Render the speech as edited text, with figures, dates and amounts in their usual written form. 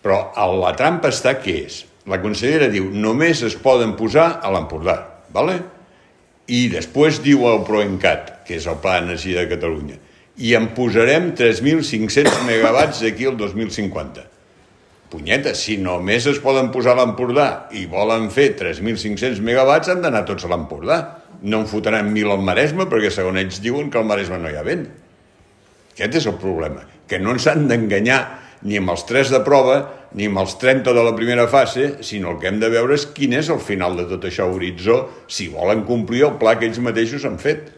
Però la trampa està què és? La consellera diu només es poden posar a l'Empordà, ¿vale? I després diu el PROENCAT, que és el Pla d'Energia de Catalunya, i en posarem 3.500 megawatts d'aquí al 2050. Punyeta, si només es poden posar a l'Empordà i volen fer 3.500 megawatts, han d'anar tots a l'Empordà. No en fotran 1.000 al Maresme, perquè segons ells diuen que al Maresme no hi ha vent. Aquest és el problema, que no ens han d'enganyar ni amb els 3 de prova, ni amb els 30 de la primera fase, sinó el que hem de veure és quin és el final de tot això, horitzó, si volen complir el pla que ells mateixos han fet.